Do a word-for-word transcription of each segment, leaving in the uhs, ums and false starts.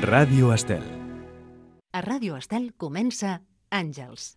Ràdio Estel. A Ràdio Estel comença Àngels.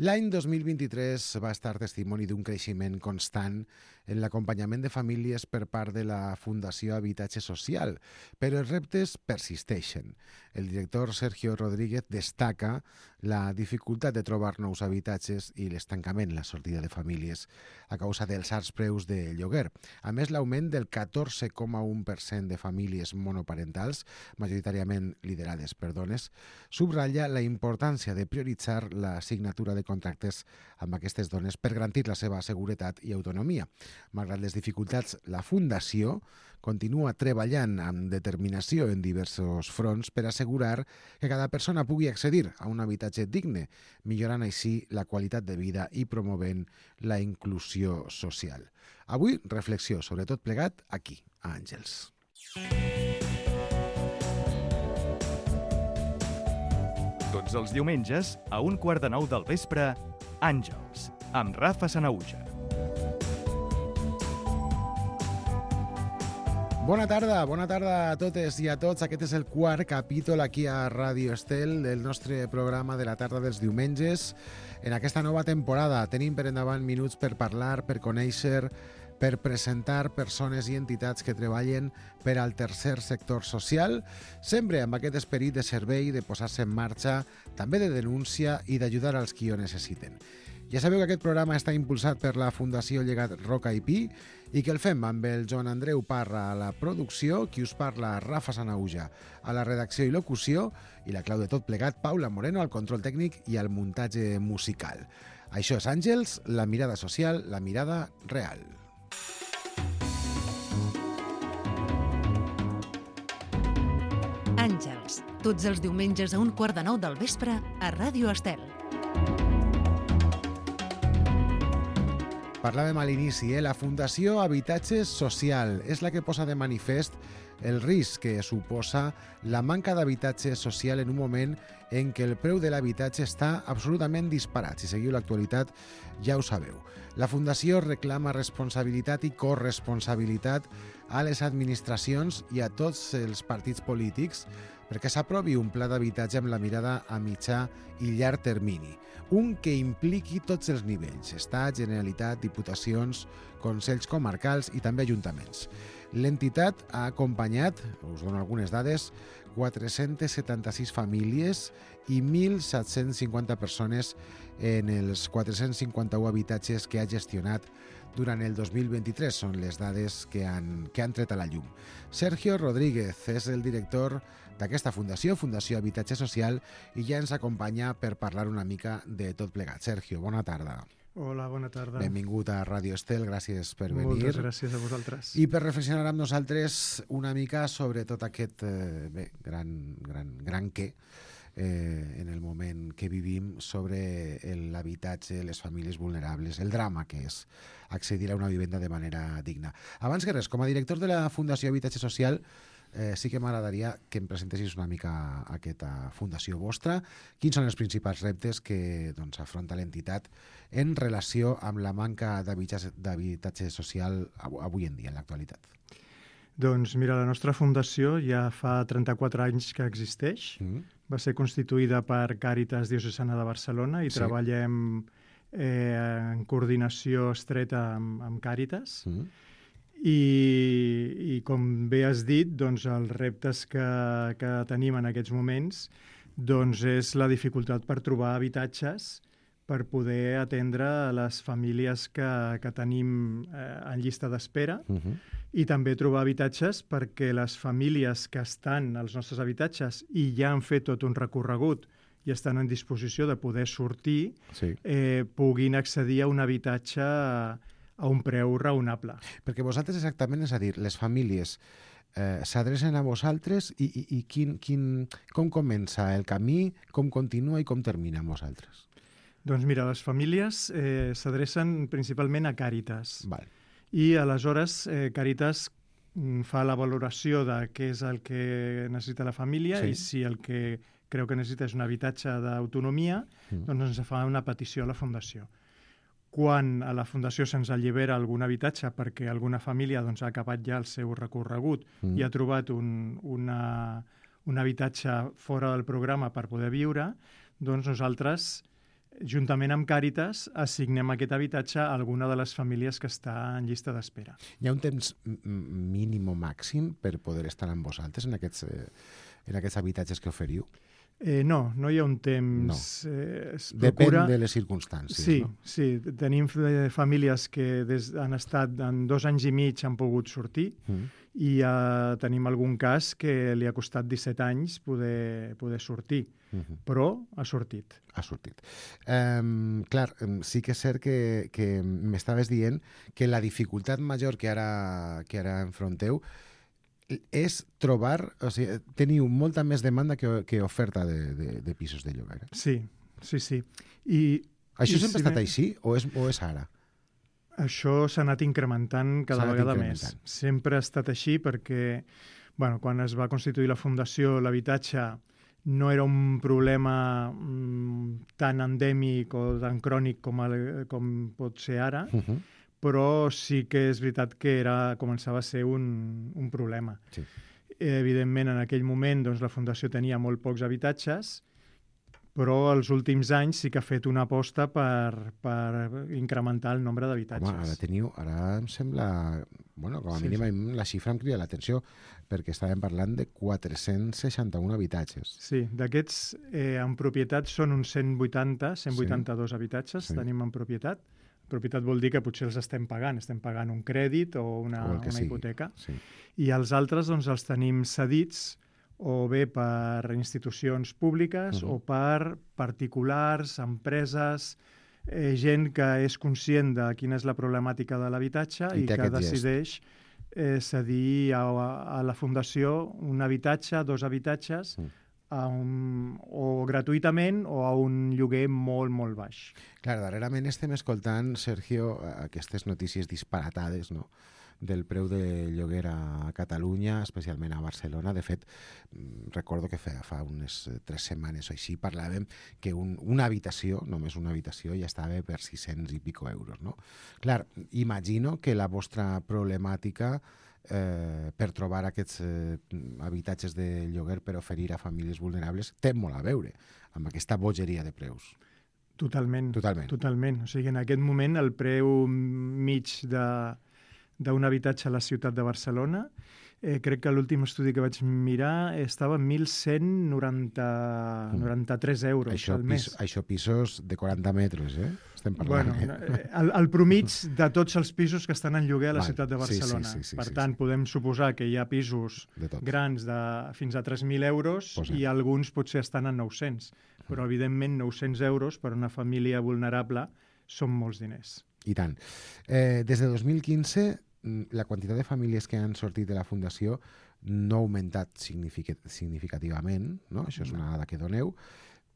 L'any dos mil vint-i-tres va estar testimoni d'un creixement constant en l'acompanyament de famílies per part de la Fundació Habitatge Social, però els reptes persisteixen. El director Sergio Rodríguez destaca la dificultat de trobar nous habitatges i l'estancament, la sortida de famílies a causa dels alts preus de lloguer. A més, l'augment del catorze coma u per cent de famílies monoparentals, majoritàriament liderades per dones, subratlla la importància de prioritzar la signatura de contractes amb aquestes dones per garantir la seva seguretat i autonomia. Malgrat les dificultats, la Fundació continua treballant amb determinació en diversos fronts per assegurar que cada persona pugui accedir a un habitatge digne, millorant així la qualitat de vida i promovent la inclusió social. Avui, reflexió sobre tot plegat aquí, a Àngels. Tots els diumenges, a un quart de nou del vespre, Àngels, amb Rafa Sanahuja. Bona tarda, bona tarda a totes i a tots. Aquest és el quart capítol aquí a Ràdio Estel del nostre programa de la tarda dels diumenges. En aquesta nova temporada tenim per endavant minuts per parlar, per conèixer, per presentar persones i entitats que treballen per al tercer sector social, sempre amb aquest esperit de servei, de posar-se en marxa, també de denúncia i d'ajudar als qui ho necessiten. Ja sabeu que aquest programa està impulsat per la Fundació Llegat Roca i Pi i que el fem amb el Joan Andreu Parra a la producció, qui us parla Rafa Sanahuja a la redacció i locució i la clau de tot plegat Paula Moreno al control tècnic i al muntatge musical. Això és Àngels, la mirada social, la mirada real. Àngels, tots els diumenges a un quart de nou del vespre a Ràdio Estel. Parlàvem a l'inici, eh? La Fundació Habitatge Social és la que posa de manifest el risc que suposa la manca d'habitatge social en un moment en què el preu de l'habitatge està absolutament disparat. Si seguiu l'actualitat ja ho sabeu. La Fundació reclama responsabilitat i corresponsabilitat a les administracions i a tots els partits polítics perquè s'aprovi un pla d'habitatge amb la mirada a mitjà i llarg termini. Un que impliqui tots els nivells, Estat, Generalitat, Diputacions, Consells Comarcals i també ajuntaments. L'entitat ha acompanyat, us dono algunes dades, quatre-centes setanta-sis famílies i mil set-cents cinquanta persones en els quatre-cents cinquanta-u habitatges que ha gestionat durant el dos mil vint-i-tres. Són les dades que han, que han tret a la llum. Sergio Rodríguez és el director d'aquesta fundació, Fundació Habitatge Social, i ja ens acompanya per parlar una mica de tot plegat. Sergio, bona tarda. Hola, bona tarda. Benvingut a Ràdio Estel, gràcies per venir. Moltes gràcies a vosaltres. I per reflexionar amb nosaltres una mica sobre tot aquest eh, bé, gran, gran, gran què eh, en el moment que vivim sobre l'habitatge, les famílies vulnerables, el drama que és accedir a una vivenda de manera digna. Abans que res, com a director de la Fundació Habitatge Social, Eh, sí que m'agradaria que em presentessis una mica aquesta fundació vostra. Quins són els principals reptes que doncs, afronta l'entitat en relació amb la manca d'habitatge social avui en dia, en l'actualitat? Doncs mira, la nostra fundació ja fa trenta-quatre anys que existeix. Mm. Va ser constituïda per Càritas Diocesana de Barcelona i sí. treballem eh, en coordinació estreta amb, amb Càritas. Mm. I, i com bé has dit, doncs, els reptes que, que tenim en aquests moments doncs, és la dificultat per trobar habitatges per poder atendre les famílies que, que tenim eh, en llista d'espera uh-huh. i també trobar habitatges perquè les famílies que estan als nostres habitatges i ja han fet tot un recorregut i estan en disposició de poder sortir, sí. eh, puguin accedir a un habitatge a un preu raonable. Perquè vosaltres exactament, és a dir, les famílies eh, s'adrecen a vosaltres i, i, i quin, quin, com comença el camí, com continua i com termina amb vosaltres? Doncs mira, les famílies eh, s'adrecen principalment a Càritas. Val. I aleshores eh, Càritas fa la valoració de què és el que necessita la família sí. i si el que creu que necessita és un habitatge d'autonomia, mm. doncs ens fa una petició a la Fundació. Quan a la Fundació se'ns allibera algun habitatge perquè alguna família doncs, ha acabat ja el seu recorregut mm. i ha trobat un, una, un habitatge fora del programa per poder viure, doncs nosaltres, juntament amb Càritas, assignem aquest habitatge a alguna de les famílies que està en llista d'espera. Hi ha un temps mínim o màxim per poder estar amb vosaltres en aquests, eh, en aquests habitatges que oferiu? Eh, no, no hi ha un temps... No. Eh, es Depèn procura... de les circumstàncies, sí, no? Sí, tenim famílies que des, han estat en dos anys i mig han pogut sortir mm. i uh, tenim algun cas que li ha costat disset anys poder, poder sortir, mm-hmm. però ha sortit. Ha sortit. Um, clar, sí que és cert que, que m'estaves dient que la dificultat major que ara, que ara enfronteu és trobar, o sigui, teniu molta més demanda que, que oferta de, de, de pisos de lloguer. Sí, sí, sí. I, Això i sempre si ha estat me... així o és, o és ara? Això s'ha anat incrementant cada vegada més. Sempre ha estat així perquè bueno, quan es va constituir la Fundació, l'habitatge no era un problema mm, tan endèmic o tan crònic com, el, com pot ser ara, uh-huh. però sí que és veritat que era, començava a ser un, un problema. Sí. Evidentment, en aquell moment doncs, la Fundació tenia molt pocs habitatges, però els últims anys sí que ha fet una aposta per, per incrementar el nombre d'habitatges. Home, ara teniu, ara em sembla, bueno, com a sí, mínim sí. La xifra em crida l'atenció, perquè estàvem parlant de quatre-cents seixanta-un habitatges. Sí, d'aquests eh, en propietat són uns cent vuitanta, cent vuitanta-dos sí. habitatges sí. tenim en propietat. Propietat vol dir que potser els estem pagant, estem pagant un crèdit o una, o una hipoteca. Sí. I els altres doncs, els tenim cedits o bé per institucions públiques uh-huh. o per particulars, empreses, eh, gent que és conscient de quina és la problemàtica de l'habitatge i, i que decideix eh, cedir a, a la Fundació un habitatge, dos habitatges, uh-huh. a un, o gratuïtament o a un lloguer molt, molt baix. Clar, darrerament estem escoltant, Sergio, aquestes notícies disparatades, no?, del preu de lloguer a Catalunya, especialment a Barcelona. De fet, recordo que fa, fa unes tres setmanes o així parlàvem que un, una habitació, només una habitació, ja estava per sis-cents i pico euros, no? Clar, imagino que la vostra problemàtica eh, per trobar aquests eh, habitatges de lloguer per oferir a famílies vulnerables té molt a veure amb aquesta bogeria de preus. Totalment. Totalment. Totalment. O sigui, en aquest moment el preu mig de d'un habitatge a la ciutat de Barcelona, eh, crec que l'últim estudi que vaig mirar estava en mil cent noranta-tres euros això, al mes. Pis, això pisos de quaranta metres, eh? Estem parlant. Bueno, eh? el, el promig de tots els pisos que estan en lloguer a la Val. ciutat de Barcelona. Sí, sí, sí, sí, per sí, tant, sí. podem suposar que hi ha pisos grans de fins a tres mil euros Posem. i alguns potser estan en nou-cents. Però, evidentment, nou-cents euros per a una família vulnerable són molts diners. I tant. Eh, des de dos mil quinze, la quantitat de famílies que han sortit de la Fundació no ha augmentat significativament, no? Això és una dada que doneu.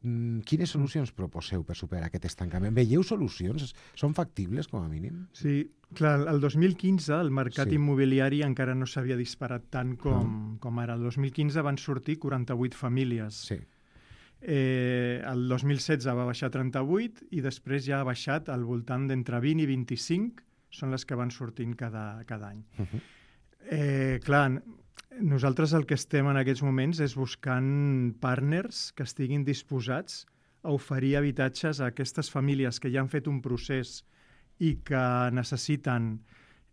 Quines solucions proposeu per superar aquest estancament? Veieu solucions? Són factibles, com a mínim? Sí, clar, el dos mil quinze el mercat sí. immobiliari encara no s'havia disparat tant com, ah. com ara. El dos mil quinze van sortir quaranta-vuit famílies. Sí. Eh, el dos mil setze va baixar a trenta-vuit i després ja ha baixat al voltant d'entre vint i vint-i-cinc, són les que van sortint cada, cada any. Uh-huh. eh, clar, nosaltres el que estem en aquests moments és buscant partners que estiguin disposats a oferir habitatges a aquestes famílies que ja han fet un procés i que necessiten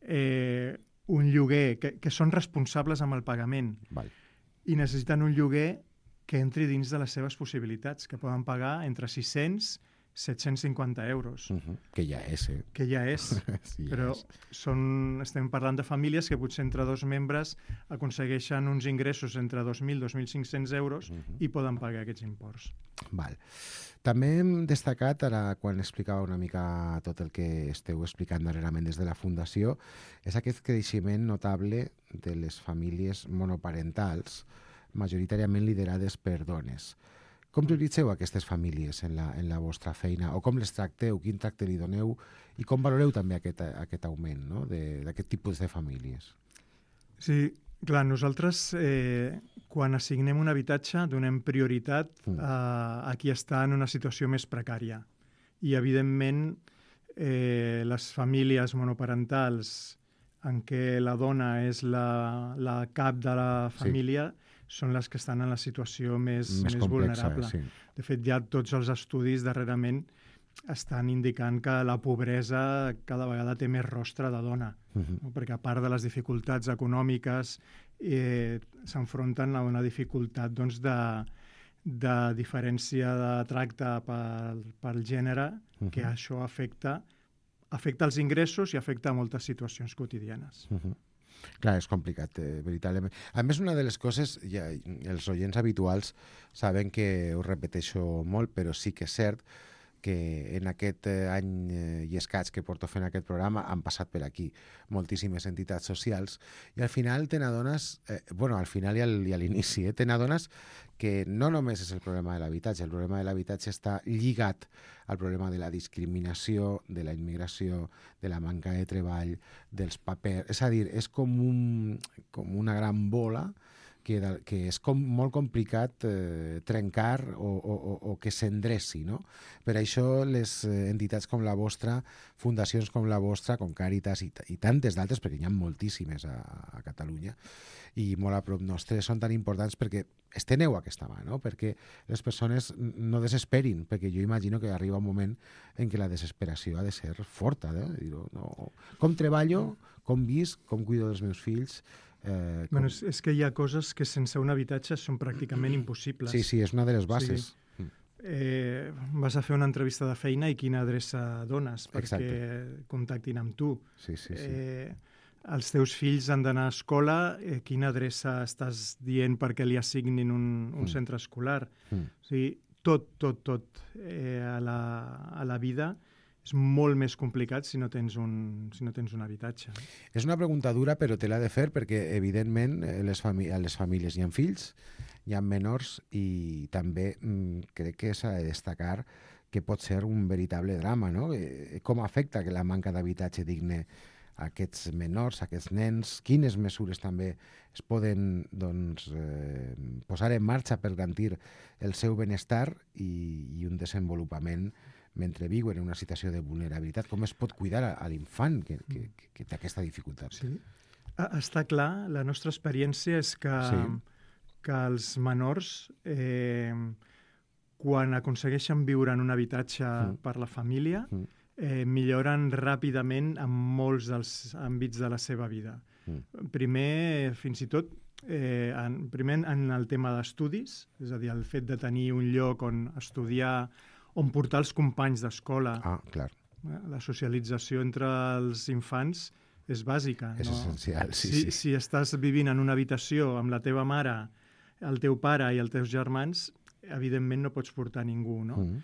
eh, un lloguer, que, que són responsables amb el pagament Val. i necessiten un lloguer que entri dins de les seves possibilitats, que poden pagar entre sis-cents i set-cents cinquanta euros. Uh-huh. Que ja és, eh? Que ja és. Sí, ja però és. Són, estem parlant de famílies que potser entre dos membres aconsegueixen uns ingressos entre dos mil i dos mil cinc-cents euros uh-huh. i poden pagar aquests imports. Val. També hem destacat, ara quan explicava una mica tot el que esteu explicant darrerament des de la Fundació, és aquest creixement notable de les famílies monoparentals, majoritàriament liderades per dones. Com prioritzeu aquestes famílies en la, en la vostra feina? O com les tracteu? Quin tracte li doneu? I com valoreu també aquest, aquest augment, no?, d'aquest tipus de famílies? Sí, clar, nosaltres eh, quan assignem un habitatge donem prioritat mm. a, a qui està en una situació més precària. I, evidentment, eh, les famílies monoparentals en què la dona és la, la cap de la família, sí. són les que estan en la situació més, més, més complexa, vulnerable. Sí. De fet, ja tots els estudis darrerament estan indicant que la pobresa cada vegada té més rostre de dona, uh-huh. no? Perquè a part de les dificultats econòmiques eh, s'enfronten a una dificultat doncs, de, de diferència de tracte pel, pel gènere, uh-huh. que això afecta, afecta els ingressos i afecta a moltes situacions quotidianes. Uh-huh. Clar, és complicat, eh, veritablement. A més, una de les coses, ja, els oients habituals saben que ho repeteixo molt, però sí que és cert que en aquest any i escaig que porto fent aquest programa han passat per aquí moltíssimes entitats socials i al final te n'adones, eh, bueno, al final i, al, i a l'inici, eh, te n'adones que no només és el problema de l'habitatge, el problema de l'habitatge està lligat al problema de la discriminació, de la immigració, de la manca de treball, dels papers... És a dir, és com, un, com una gran bola que, que és com molt complicat eh, trencar o, o, o que s'endreci, no? Per això les entitats com la vostra, fundacions com la vostra, com Càritas i, i tantes d'altres, perquè n'hi ha moltíssimes a, a Catalunya, i molt a prop nostre, són tan importants perquè esteneu aquesta mà, no? Perquè les persones no desesperin, perquè jo imagino que arriba un moment en què la desesperació ha de ser forta, eh? Dir-ho, no? Com treballo, com visc, com cuido dels meus fills... Eh, com... bueno, és, és que hi ha coses que sense un habitatge són pràcticament impossibles. Sí, sí, és una de les bases. Sí. Eh, vas a fer una entrevista de feina i quina adreça dones perquè Exacte. Contactin amb tu. Sí, sí, sí. Eh, els teus fills han d'anar a escola, eh, quina adreça estàs dient perquè li assignin un, un mm. centre escolar. Mm. O sigui, tot, tot, tot eh, a, la, a la vida és molt més complicat si no tens un, si no tens un habitatge. És una pregunta dura, però te l'ha de fer perquè, evidentment, les fami- a les famílies hi ha fills, hi ha menors i també mm, crec que s'ha de destacar que pot ser un veritable drama, no? Eh, com afecta que la manca d'habitatge digne a aquests menors, a aquests nens? Quines mesures també es poden doncs, eh, posar en marxa per garantir el seu benestar i, i un desenvolupament mentre viuen en una situació de vulnerabilitat? Com es pot cuidar a, a l'infant que, que, que, que té aquesta dificultat? Sí. Està clar, la nostra experiència és que, sí. que els menors, eh, quan aconsegueixen viure en un habitatge mm. per la família, mm. eh, milloren ràpidament en molts dels àmbits de la seva vida. Mm. Primer, fins i tot, eh, en, primer en el tema d'estudis, és a dir, el fet de tenir un lloc on estudiar, on portar els companys d'escola. Ah, clar. La socialització entre els infants és bàsica. És no? essencial, sí, si, sí. Si estàs vivint en una habitació amb la teva mare, el teu pare i els teus germans, evidentment no pots portar ningú, no? Mm.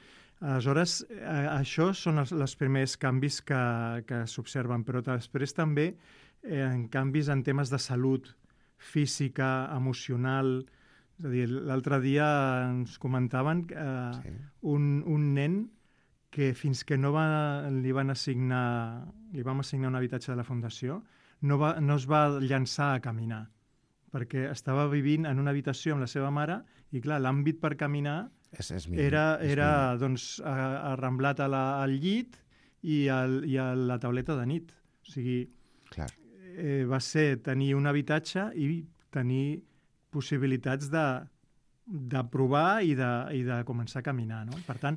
Aleshores, eh, això són els, els primers canvis que, que s'observen, però després també eh, en canvis en temes de salut física, emocional. És a dir, l'altre dia ens comentaven que eh, sí. un, un nen que fins que no va, li van assignar, li vam assignar un habitatge de la Fundació, no, va, no es va llançar a caminar, perquè estava vivint en una habitació amb la seva mare i, clar, l'àmbit per caminar és, és mínim, era, és era doncs, arramblat a la, al llit i, al, i a la tauleta de nit. O sigui, clar. Eh, va ser tenir un habitatge i tenir possibilitats de, de provar i de, i de començar a caminar, no? Per tant,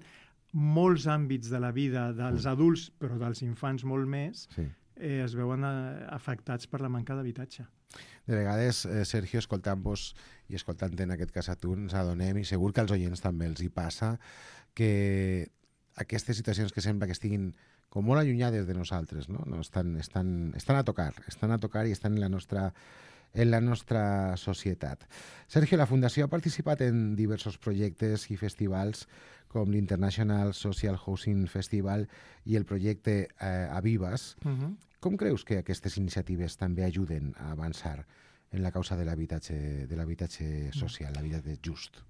molts àmbits de la vida dels adults, però dels infants molt més, sí. eh, es veuen eh, afectats per la manca d'habitatge. De vegades, eh, Sergio, escoltant-vos i escoltant en aquest cas a tu, ens adonem, i segur que als oients també els hi passa, que aquestes situacions que sembla que estiguin com molt allunyades de nosaltres, no? No, estan, estan, estan a tocar, estan a tocar i estan en la nostra en la nostra societat. Sergio, la Fundació ha participat en diversos projectes i festivals com l'International Social Housing Festival i el projecte eh, Avivas. Uh-huh. Com creus que aquestes iniciatives també ajuden a avançar en la causa de l'habitatge de l'habitatge social, l'habitatge just?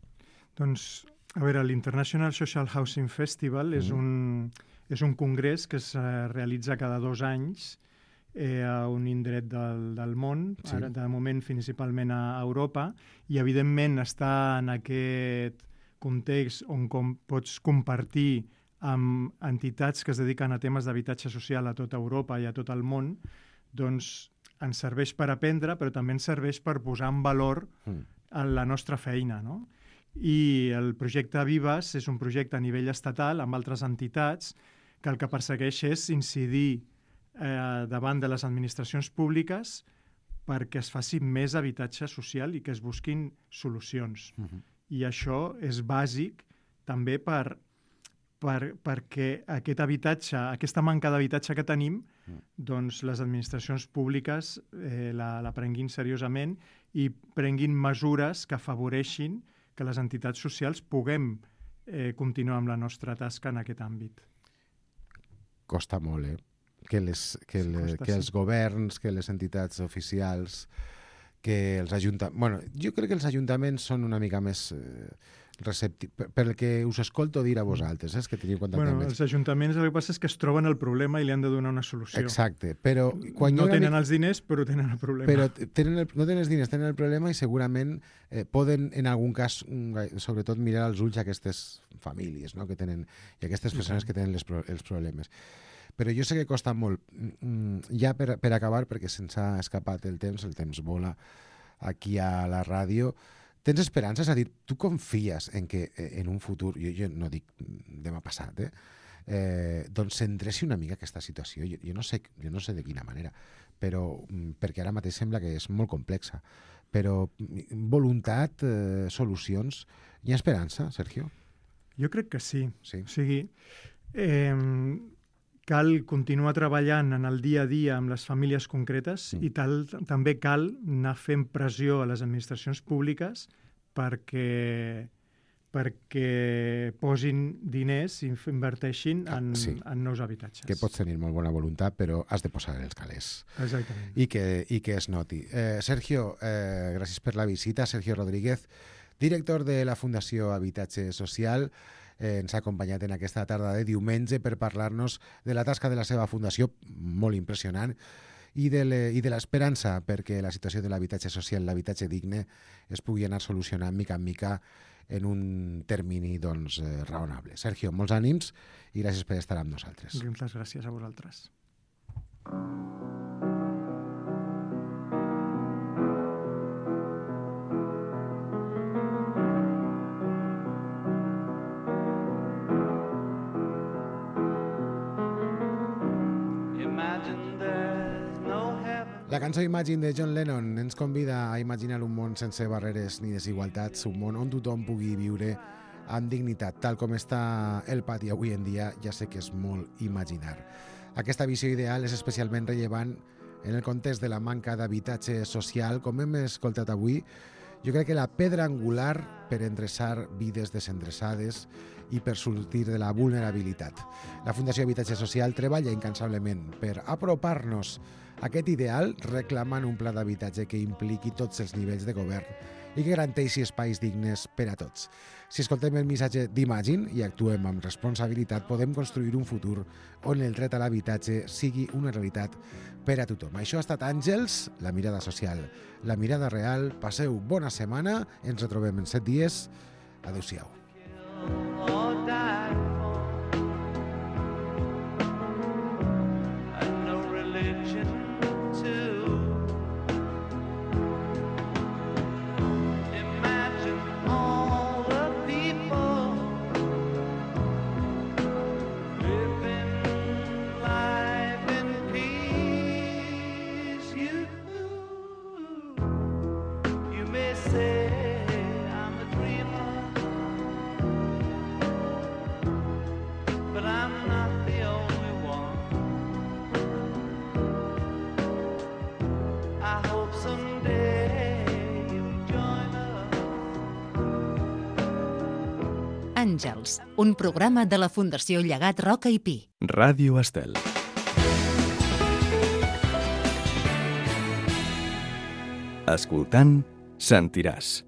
Doncs, a veure, l'International Social Housing Festival uh-huh. és, un, és un congrés que es realitza cada dos anys Eh, a un indret del, del món, sí. Ara de moment principalment a Europa, i evidentment està en aquest context on com pots compartir amb entitats que es dediquen a temes d'habitatge social a tota Europa i a tot el món, doncs ens serveix per aprendre, però també ens serveix per posar en valor mm. la nostra feina, no? I el projecte Vives és un projecte a nivell estatal amb altres entitats que el que persegueix és incidir eh, davant de les administracions públiques perquè es faci més habitatge social i que es busquin solucions. Uh-huh. I això és bàsic també per, per, perquè aquest habitatge, aquesta manca d'habitatge que tenim, uh-huh. doncs les administracions públiques eh, la, la prenguin seriosament i prenguin mesures que afavoreixin que les entitats socials puguem eh, continuar amb la nostra tasca en aquest àmbit. Costa molt, eh? Que, les, que, sí, le, costa, que els sí. governs, que les entitats oficials, que els ajuntaments... Bueno, jo crec que els ajuntaments són una mica més eh, receptius, per, pel que us escolto dir a vosaltres, eh, que teniu contacte bueno, amb ells. Els ajuntaments el que passa és que es troben el problema i li han de donar una solució. Exacte, però... Quan no tenen mica... els diners, però tenen el problema. Però tenen el, no tenen els diners, tenen el problema i segurament eh, poden, en algun cas, sobretot mirar als ulls aquestes famílies, no?, que tenen, i aquestes persones que tenen les, els problemes. Però jo sé que costa molt. Ja per, per acabar, perquè se'ns ha escapat el temps, el temps vola aquí a la ràdio, tens esperança? És a dir, tu confies en que en un futur, jo, jo no dic demà passat, eh, eh, doncs s'endreci una mica aquesta situació. Jo, jo, no sé, jo no sé de quina manera, però perquè ara mateix sembla que és molt complexa. Però voluntat, eh, solucions... Hi ha esperança, Sergio? Jo crec que sí. sí. O sigui... Eh, cal continuar treballant en el dia a dia amb les famílies concretes mm. i tal, també cal anar fent pressió a les administracions públiques perquè, perquè posin diners i inverteixin en, sí. en nous habitatges. Que pots tenir molt bona voluntat, però has de posar els calés. Exactament. I que, i que es noti. Eh, Sergio, eh, gràcies per la visita. Sergio Rodríguez, director de la Fundació Habitatge Social, Eh, ens ha acompanyat en aquesta tarda de diumenge per parlar-nos de la tasca de la seva fundació, molt impressionant, i de, le, i de l'esperança perquè la situació de l'habitatge social, l'habitatge digne, es pugui anar solucionant mica en mica en un termini doncs, eh, raonable. Sergio, molts ànims i gràcies per estar amb nosaltres. Moltes gràcies a vosaltres. La cançó Imagine de John Lennon ens convida a imaginar un món sense barreres ni desigualtats, un món on tothom pugui viure amb dignitat. Tal com està el pati avui en dia, ja sé que és molt imaginar. Aquesta visió ideal és especialment rellevant en el context de la manca d'habitatge social. Com hem escoltat avui, jo crec que la pedra angular per endreçar vides desendreçades i per sortir de la vulnerabilitat. La Fundació Habitatge Social treballa incansablement per apropar-nos a aquest ideal, reclamant un pla d'habitatge que impliqui tots els nivells de govern i que garanteixi espais dignes per a tots. Si escoltem el missatge d'Imagine i actuem amb responsabilitat, podem construir un futur on el dret a l'habitatge sigui una realitat per a tothom. Això ha estat Àngels, la mirada social, la mirada real. Passeu bona setmana, ens retrobem en set dies. Adéu-siau. Àngels, un programa de la Fundació Llegat Roca i Pi. Ràdio Estel. Escoltant, sentiràs.